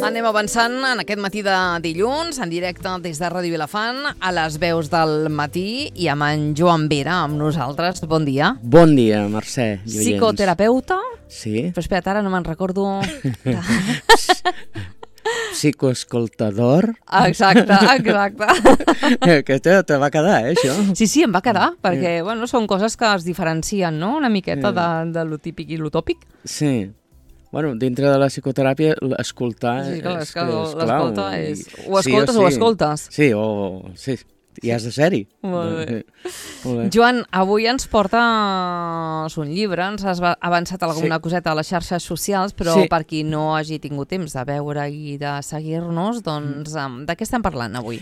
Anem avançant en aquest matí de dilluns, en directe des de Ràdio Vilafant, a les veus del matí, i amb en Joan Vera, amb nosaltres. Bon dia. Bon dia, Mercè. Psicoterapeuta. Sí. Però espera't, ara no me'n recordo. Psicoescoltador. Exacte. Que te va quedar, això? Sí, em va quedar, perquè són coses que es diferencien, no?, una miqueta de lo típic i lo tòpic. Sí. Bueno, dintre de la psicoteràpia, escoltar és clau. O escoltes. Sí, sí. I has de ser-hi. Molt bé. Joan, avui ens portes un llibre, ens has avançat alguna coseta a les xarxes socials, però per qui no hagi tingut temps de veure i de seguir-nos, doncs de què estem parlant avui?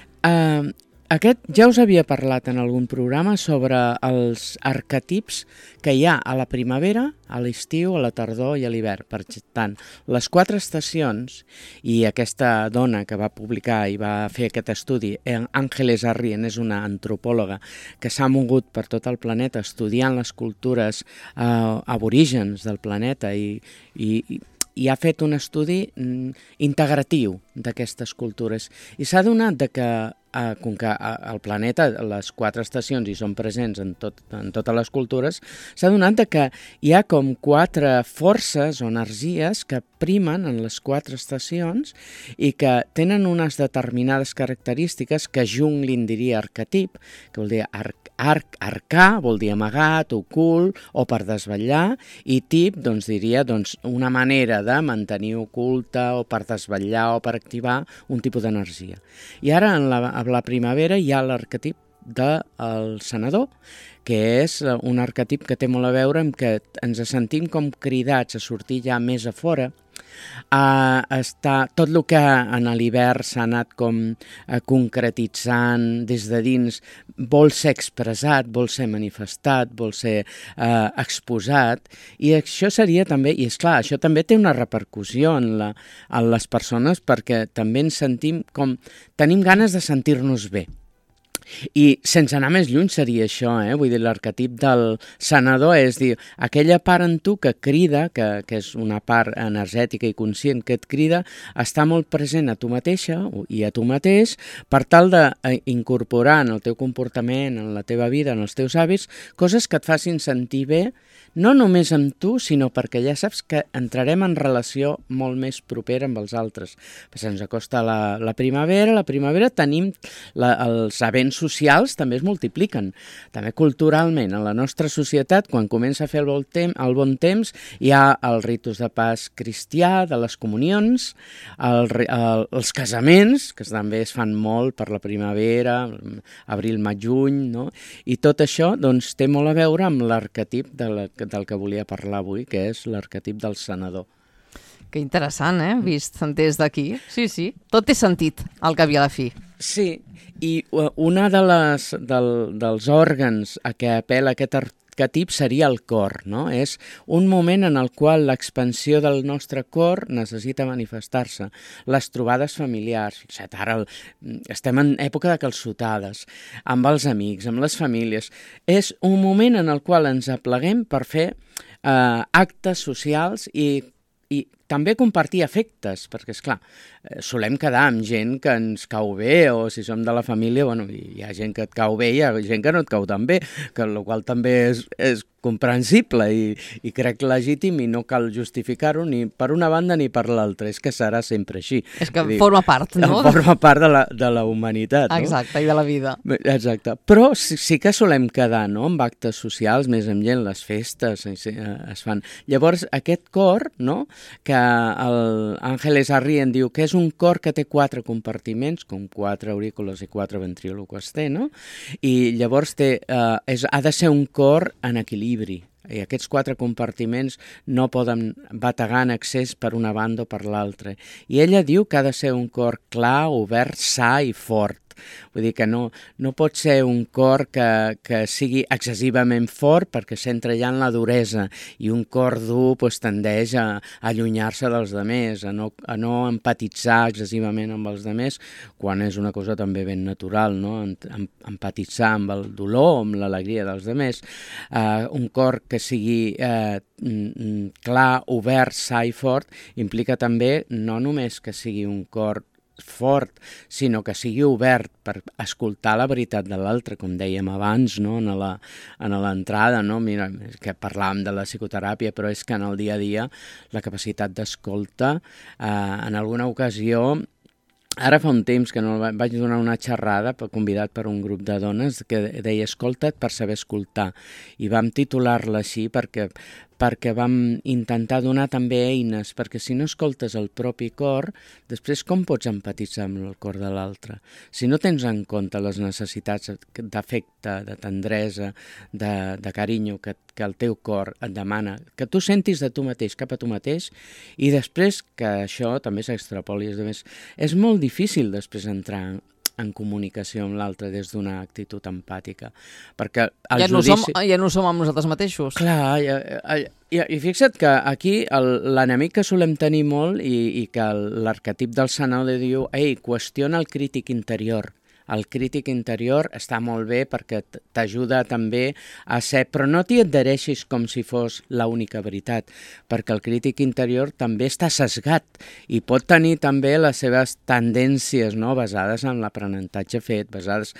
Aquest ja us havia parlat en algun programa sobre els arquetips que hi ha a la primavera, a l'estiu, a la tardor i a l'hivern. Per tant, les 4 estacions, i aquesta dona que va publicar i va fer aquest estudi, Ángeles Arrien, és una antropòloga que s'ha mogut per tot el planeta estudiant les cultures aborígens del planeta i ha fet un estudi integratiu d'aquestes cultures. I s'ha adonat que com que al planeta les 4 estacions hi són presents en totes les cultures, s'ha adonat que hi ha com 4 forces o energies que primen en les 4 estacions i que tenen unes determinades característiques que Jung li'n diria arquetip, que vol dir arcà, vol dir amagat, ocult o per desvetllar, i tip diria una manera de mantenir oculta o per desvetllar o per activar un tipus d'energia. I ara a la primavera hi ha l'arquetip del sanador, que és un arquetip que té molt a veure amb que ens sentim com cridats a sortir ja més a fora, tot el que en l'hivern s'ha anat com concretitzant des de dins vol ser expressat, vol ser manifestat, vol ser exposat, i això seria també, i és clar, això també té una repercussió en les persones, perquè també ens sentim com, tenim ganes de sentir-nos bé. I sense anar més lluny seria això, vull dir, l'arquetip del sanador és dir, aquella part en tu que crida, que és una part energètica i conscient que et crida, està molt present a tu mateixa i a tu mateix per tal d'incorporar en el teu comportament, en la teva vida, en els teus hàbits, coses que et facin sentir bé, no només amb tu, sinó perquè ja saps que entrarem en relació molt més propera amb els altres. Se'ns acosta la primavera tenim els events socials també es multipliquen. També culturalment, en la nostra societat, quan comença a fer el bon temps, hi ha els ritus de pas cristià, de les comunions, els casaments, que també es fan molt per la primavera, abril, maig, juny, no? I tot això té molt a veure amb l'arquetip del que volia parlar avui, que és l'arquetip del sanador. Que interessant, vist des d'aquí. Sí, tot té sentit, al cap i a la fi. Sí, i una dels òrgans a què apel·la aquest arquetip seria el cor, no? És un moment en el qual l'expansió del nostre cor necessita manifestar-se. Les trobades familiars, fixa't, ara estem en època de calçotades, amb els amics, amb les famílies. És un moment en el qual ens apleguem per fer actes socials i també compartir afectes, perquè, esclar, solem quedar amb gent que ens cau bé, o si som de la família, hi ha gent que et cau bé i hi ha gent que no et cau tan bé, el qual també és comprensible i crec legítim i no cal justificar-ho ni per una banda ni per l'altra, és que serà sempre així. És que forma part, no? Forma part de la humanitat, no? Exacte, i de la vida. Exacte, però sí que solem quedar, no?, amb actes socials, més amb gent, les festes es fan. Llavors, aquest cor, no?, que l'Ángeles Arrien diu que és un cor que té 4 compartiments, com 4 aurícules i 4 ventríloques té, no? I llavors ha de ser un cor en equilibri. I aquests 4 compartiments no poden bategar en excés per una banda o per l'altra. I ella diu que ha de ser un cor clar, obert, sa i fort. Vull dir que no pot ser un cor que sigui excessivament fort perquè s'entra ja en la duresa, i un cor dur tendeix a allunyar-se dels demés, a no empatitzar excessivament amb els demés, quan és una cosa també ben natural, no? Empatitzar amb el dolor, amb l'alegria dels demés. Un cor que sigui clar, obert, sa i fort, implica també no només que sigui un cor fort, sinó que sigui obert per escoltar la veritat de l'altre, com dèiem abans, no? En l'entrada, no? Mira, que parlàvem de la psicoteràpia, però és que en el dia a dia la capacitat d'escolta, en alguna ocasió, ara fa un temps que no vaig donar una xerrada convidat per un grup de dones que deia escolta't per saber escoltar, i vam titular-la així perquè vam intentar donar també eines, perquè si no escoltes el propi cor, després com pots empatitzar amb el cor de l'altre? Si no tens en compte les necessitats d'afecte, de tendresa, de carinyo que el teu cor et demana, que tu sentis de tu mateix cap a tu mateix, i després que això també s'extrapoli. És molt difícil després entrar en comunicació amb l'altre des d'una actitud empàtica, perquè el judici... Ja no som amb nosaltres mateixos. Clar, i fixa't que aquí l'enemic que solem tenir molt i que l'arquetip del sanador diu qüestiona el crític interior. El crític interior està molt bé perquè t'ajuda també a ser, però no t'hi adhereixis com si fos l'única veritat, perquè el crític interior també està sesgat i pot tenir també les seves tendències, no? Basades en l'aprenentatge fet, basades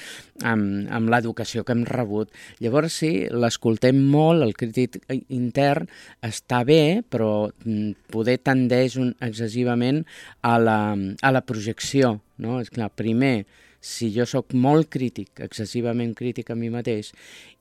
en l'educació que hem rebut. Llavors sí, l'escoltem molt, el crític intern està bé, però poder tendeix excessivament a la projecció, no? És clar, primer, si jo sóc molt crític, excessivament crític a mi mateix,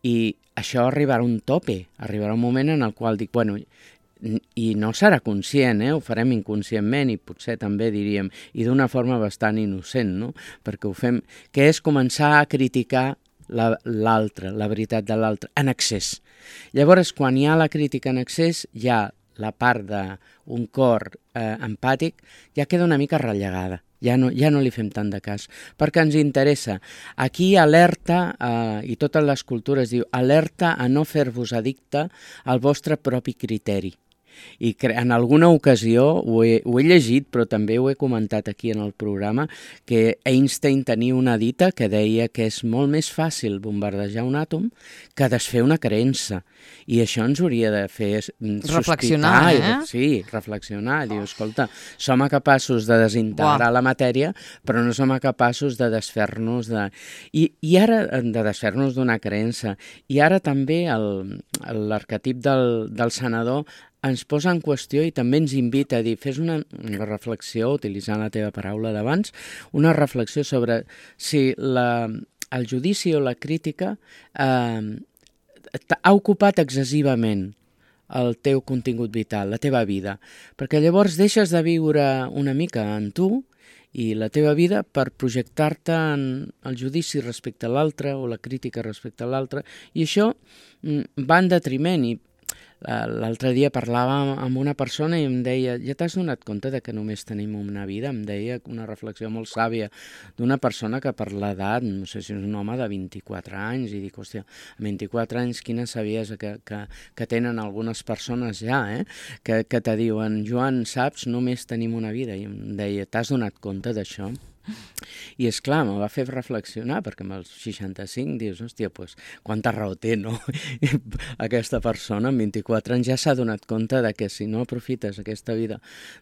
i això arribarà a un tope, arribarà un moment en el qual dic, bueno, i no serà conscient, ho farem inconscientment i potser també diríem, i d'una forma bastant innocent, no? Perquè ho fem, que és començar a criticar l'altre, la veritat de l'altre, en excés. Llavors, quan hi ha la crítica en excés, ja la part d'un cor empàtic ja queda una mica rellegada. Ja no li fem tant de cas, perquè ens interessa. Aquí alerta, i totes les cultures diu, alerta a no fer-vos addicte al vostre propi criteri. I en alguna ocasió ho he llegit, però també ho he comentat aquí en el programa, que Einstein tenia una dita que deia que és molt més fàcil bombardejar un àtom que desfer una creença. I això ens hauria de fer reflexionar, Sí, reflexionar. Diu, escolta, som capaços de desintegrar la matèria, però no som capaços de desfer-nos I ara, de desfer-nos d'una creença. I ara també l'arquetip del sanador ens posa en qüestió i també ens invita a dir, fes una reflexió, utilitzant la teva paraula d'abans, una reflexió sobre si el judici o la crítica ha ocupat excessivament el teu contingut vital, la teva vida, perquè llavors deixes de viure una mica en tu i la teva vida per projectar-te en el judici respecte a l'altre o la crítica respecte a l'altre, i això va en detriment. I l'altre dia parlava amb una persona i em deia, ja t'has donat compte de que només tenim una vida? Em deia una reflexió molt sàvia d'una persona que per l'edat, no sé si és un home de 24 anys, i dic, hòstia, a 24 anys quina saviesa que tenen algunes persones ja, que te diuen, Joan, saps, només tenim una vida. I em deia, t'has donat compte d'això? I és clar, me va fer reflexionar, perquè amb els 65 dius, hòstia, doncs, quanta raó té, no? Aquesta persona amb 24 anys ja s'ha donat compte de que si no aprofites aquesta vida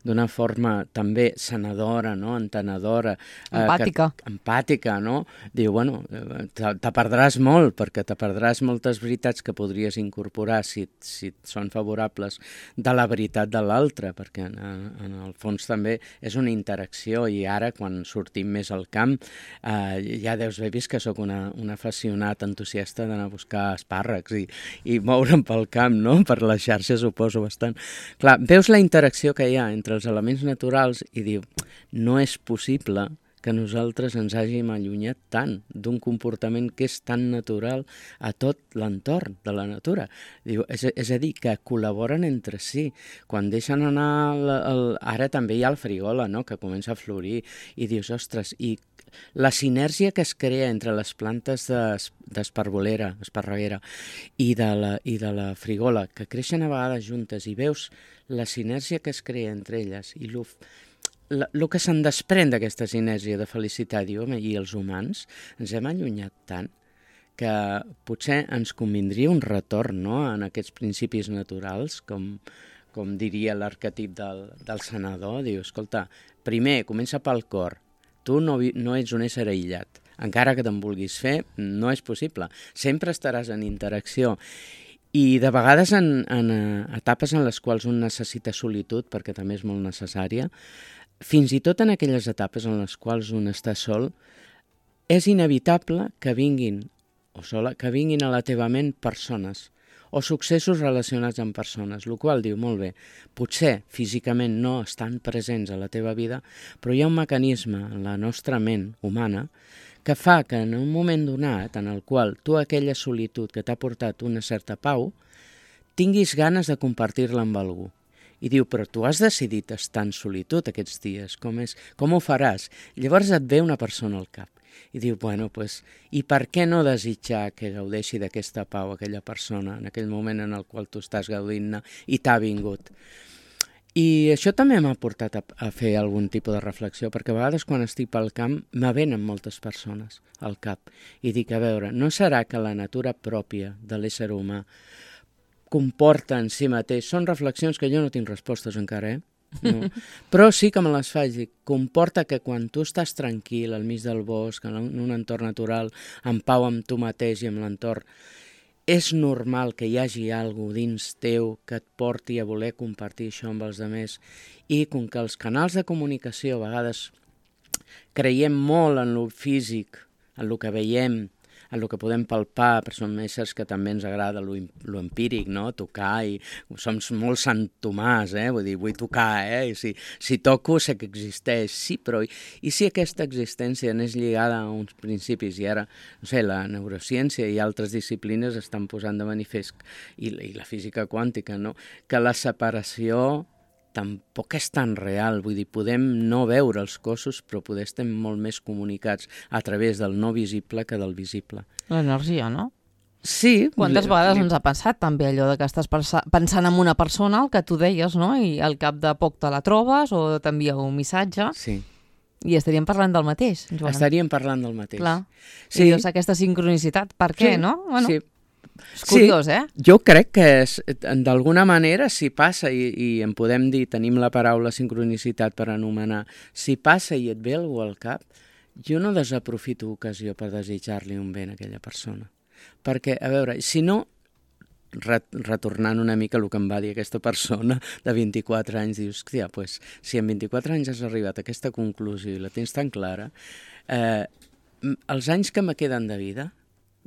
d'una forma també sanadora, no? Entenedora, empàtica, no? Diu, bueno, te perdràs molt, perquè te perdràs moltes veritats que podries incorporar si són favorables de la veritat de l'altre, perquè en el fons també és una interacció, i ara quan sortim més al camp, ja deus haver vist que sóc un afeccionat entusiasta d'anar a buscar espàrrecs i moure'm pel camp, no? Per les xarxes suposo bastant. Clar, veus la interacció que hi ha entre els elements naturals i diu, no és possible que nosaltres ens hàgim allunyat tant d'un comportament que és tan natural a tot l'entorn de la natura. Diu, és a dir, que col·laboren entre si. Quan deixen anar... Ara també hi ha el frigola, no?, que comença a florir, i dius, ostres, i la sinergia que es crea entre les plantes d'esparbolera, esparreguera, i de la frigola, que creixen a vegades juntes, i veus la sinergia que es crea entre elles, i el que se'n desprèn d'aquesta sinergia de felicitat, diu, home, i els humans ens hem allunyat tant que potser ens convindria un retorn, no?, en aquests principis naturals, com diria l'arquetip del sanador. Diu, escolta, primer, comença pel cor. Tu no ets un ésser aïllat. Encara que te'n vulguis fer, no és possible. Sempre estaràs en interacció. I de vegades en etapes en les quals un necessita solitud, perquè també és molt necessària, fins i tot en aquelles etapes en les quals un està sol, és inevitable que vinguin a la teva ment persones o successos relacionats amb persones, el qual diu, molt bé, potser físicament no estan presents a la teva vida, però hi ha un mecanisme en la nostra ment humana que fa que en un moment donat en el qual tu aquella solitud que t'ha portat una certa pau, tinguis ganes de compartir-la amb algú. I diu, però tu has decidit estar en solitud aquests dies, com ho faràs? Llavors et ve una persona al cap i diu, bueno, pues, i per què no desitjar que gaudeixi d'aquesta pau aquella persona en aquell moment en el qual tu estàs gaudint-ne i t'ha vingut? I això també m'ha portat a fer algun tipus de reflexió, perquè a vegades quan estic pel camp me venen moltes persones al cap i dic, a veure, no serà que la natura pròpia de l'ésser humà comporta en si mateix, són reflexions que jo no tinc respostes encara, no. Però sí que me les faig, dic, comporta que quan tu estàs tranquil al mig del bosc, en un entorn natural, en pau amb tu mateix i amb l'entorn, és normal que hi hagi alguna dins teu que et porti a voler compartir això amb els altres, i com que els canals de comunicació a vegades creiem molt en lo físic, en lo que veiem, en el que podem palpar, però som éssers que també ens agrada lo empíric, no?, tocar, i som molt Sant Tomàs, vull dir, vull tocar, i si toco sé que existeix, sí, però i si aquesta existència n'és lligada a uns principis, i ara, no sé, la neurociència i altres disciplines estan posant de manifest, i la física quàntica, no?, que la separació tampoc és tan real, vull dir, podem no veure els cossos, però poder estar molt més comunicats a través del no visible que del visible. L'energia, no? Sí. Quantes vegades ens ha passat també allò de que estàs pensant en una persona, el que tu deies, no?, i al cap de poc te la trobes o t'envia un missatge. Sí. I estaríem parlant del mateix, Joan. Estaríem parlant del mateix. Clar. Sí. I dius, aquesta sincronicitat, per què, no? Bueno, sí. És curiós, Jo crec que d'alguna manera si passa, i en podem dir, tenim la paraula sincronicitat per anomenar, si passa i et ve algú al cap, jo no desaprofito ocasió per desitjar-li un bé a aquella persona. Perquè, a veure, si no, retornant una mica el que em va dir aquesta persona de 24 anys, dius, hòstia, pues, si en 24 anys has arribat a aquesta conclusió i la tens tan clara, els anys que me queden de vida,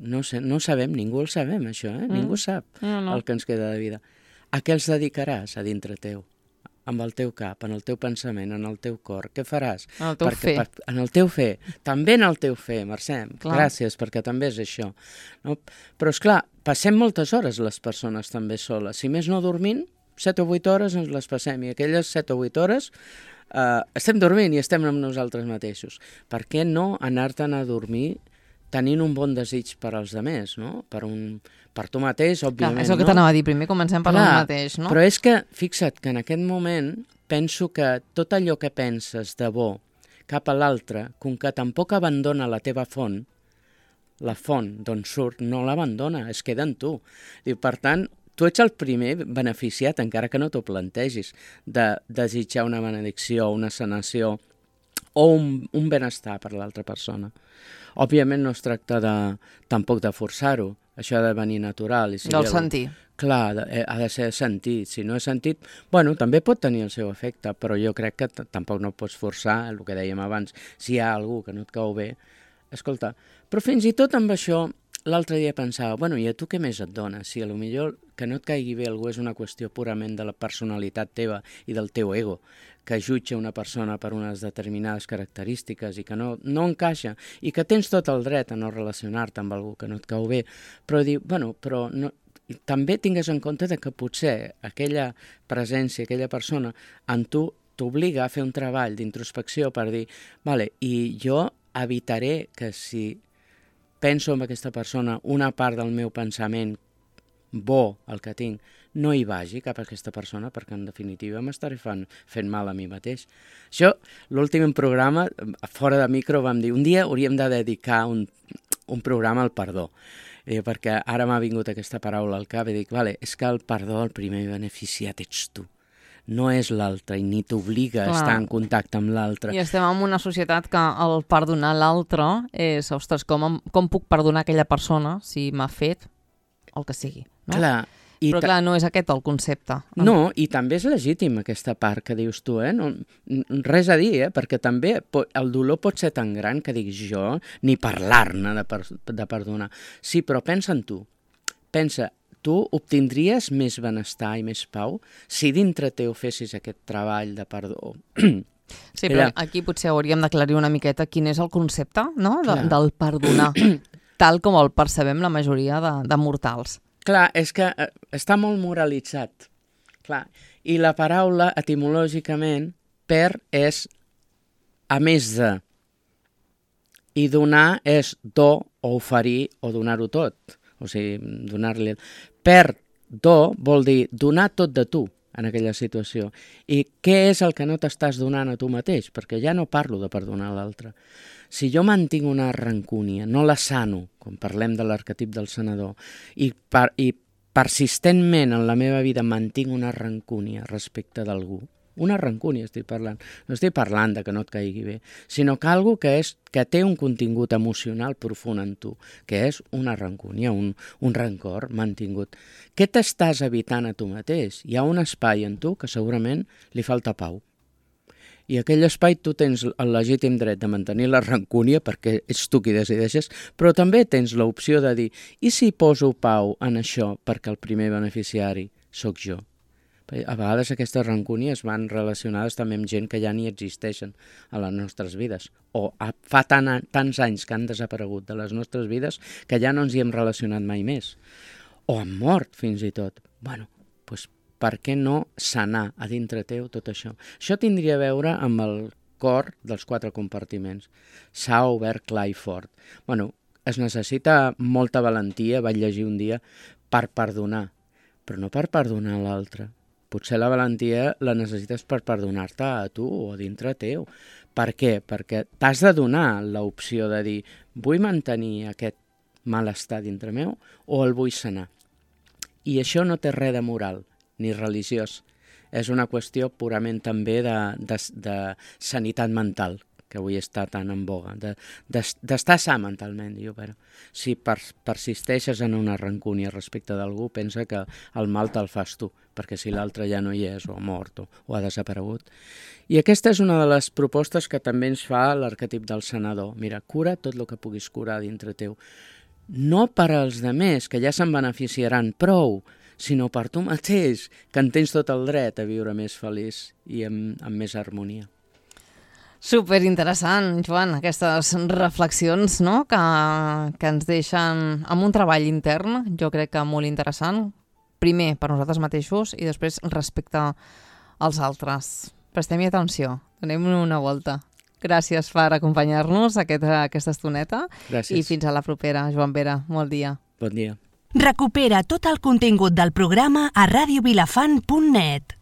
no sabem, ningú el sabem, això, ningú sap el que ens queda de vida. A què els dedicaràs a dintre teu? Amb el teu cap, en el teu pensament, en el teu cor. Què faràs? En el teu fer. En el teu fer. També en el teu fer, Mercè. Gràcies, perquè també és això. No? Però, esclar, passem moltes hores les persones també soles. Si més no dormint, 7 o 8 hores ens les passem, i aquelles 7 o 8 hores estem dormint i estem amb nosaltres mateixos. Per què no anar-te'n a dormir tenint un bon desig per als altres, no? Per tu mateix, òbviament. Clar, és el que t'anava a dir, primer comencem per el mateix, no? Però és que, fixa't, que en aquest moment penso que tot allò que penses de bo cap a l'altre, com que tampoc abandona la teva font, la font d'on surt no l'abandona, es queda en tu. Per tant, tu ets el primer beneficiat, encara que no t'ho plantegis, de desitjar una benedicció, una sanació o un benestar per l'altra persona. Òbviament no es tracta tampoc de forçar-ho, això ha de venir natural. Del sentir. Clar, ha de ser sentit. Si no és sentit, bueno, també pot tenir el seu efecte, però jo crec que tampoc no pots forçar, el que dèiem abans, si hi ha algú que no et cau bé, escolta, però fins i tot amb això l'altre dia pensava, bueno, i a tu què més et dona? Si potser que no et caigui bé algú és una qüestió purament de la personalitat teva i del teu ego, que jutja una persona per unes determinades característiques i que no encaixa, i que tens tot el dret a no relacionar-te amb algú que no et cau bé, però dir, bueno, però no, també tingues en compte que potser aquella presència, aquella persona, en tu t'obliga a fer un treball d'introspecció per dir, vale, i jo evitaré que si penso en aquesta persona, una part del meu pensament bo, el que tinc, no hi vagi cap a aquesta persona, perquè en definitiva m'estaré fent mal a mi mateix. Això, l'últim programa, fora de micro, vam dir, un dia hauríem de dedicar un programa al perdó, perquè ara m'ha vingut aquesta paraula al cap i dic, vale, és que el perdó, el primer beneficiat ets tu. No és l'altre i ni t'obliga a estar en contacte amb l'altre. I estem en una societat que el perdonar l'altre és, ostres, com puc perdonar aquella persona si m'ha fet el que sigui, no? Clar. Però clar, no és aquest el concepte. No, i també és legítim aquesta part que dius tu, no, res a dir, perquè també el dolor pot ser tan gran que dic jo, ni parlar-ne de perdonar. Sí, però pensa en tu. Pensa, tu obtindries més benestar i més pau si dintre teu fessis aquest treball de perdó. Sí, però aquí potser hauríem d'aclarir una miqueta quin és el concepte, no? Del perdonar, tal com el percebem la majoria de mortals. Clar, és que està molt moralitzat. Clar. I la paraula, etimològicament, per és a més de. I donar és do o oferir o donar-ho tot. O sigui, donar-li... Per do vol dir donar tot de tu en aquella situació. I què és el que no t'estàs donant a tu mateix? Perquè ja no parlo de perdonar l'altre. Si jo mantinc una rancúnia, no la sano, quan parlem de l'arquetip del sanador, i persistentment en la meva vida mantinc una rancúnia respecte d'algú, una rancúnia estic parlant, no estic parlant de que no et caigui bé, sinó que algú que té un contingut emocional profund en tu, que és una rancúnia, un rancor mantingut. Què t'estàs evitant a tu mateix? Hi ha un espai en tu que segurament li falta pau. I aquell espai tu tens el legítim dret de mantenir la rancúnia perquè ets tu qui decideixes, però també tens l'opció de dir i si poso pau en això perquè el primer beneficiari sóc jo? A vegades aquestes rancúnies van relacionades també amb gent que ja ni existeixen a les nostres vides o fa tants anys que han desaparegut de les nostres vides que ja no ens hi hem relacionat mai més. O han mort fins i tot. Bueno, doncs per què no sanar a dintre teu tot això? Això tindria a veure amb el cor dels 4 compartiments. S'ha obert clar i fort. Bueno, es necessita molta valentia, vaig llegir un dia, per perdonar, però no per perdonar l'altre. Potser la valentia la necessites per perdonar-te a tu o a dintre teu. Per què? Perquè t'has de donar l'opció de dir vull mantenir aquest malestar dintre meu o el vull sanar. I això no té res de moral ni religiós. És una qüestió purament també de sanitat mental, que avui està tan en boga, d'estar sa mentalment, diu, però si persisteixes en una rancúnia respecte d'algú, pensa que el mal te'l fas tu, perquè si l'altre ja no hi és, o ha mort, o ha desaparegut. I aquesta és una de les propostes que també ens fa l'arquetip del sanador. Mira, cura tot el que puguis curar dintre teu. No per als demés, que ja se'n beneficiaran prou, sinó per tu mateix, que en tens tot el dret a viure més feliç i amb més harmonia. Superinteressant, Joan, aquestes reflexions, no?, que ens deixen amb un treball intern, jo crec que molt interessant, primer per nosaltres mateixos i després respecte als altres. Prestem-hi atenció, donem-hi una volta. Gràcies per acompanyar-nos aquesta estoneta. Gràcies. I fins a la propera, Joan Vera. Bon dia. Bon dia. Recupera tot el contingut del programa a radiovilafant.net.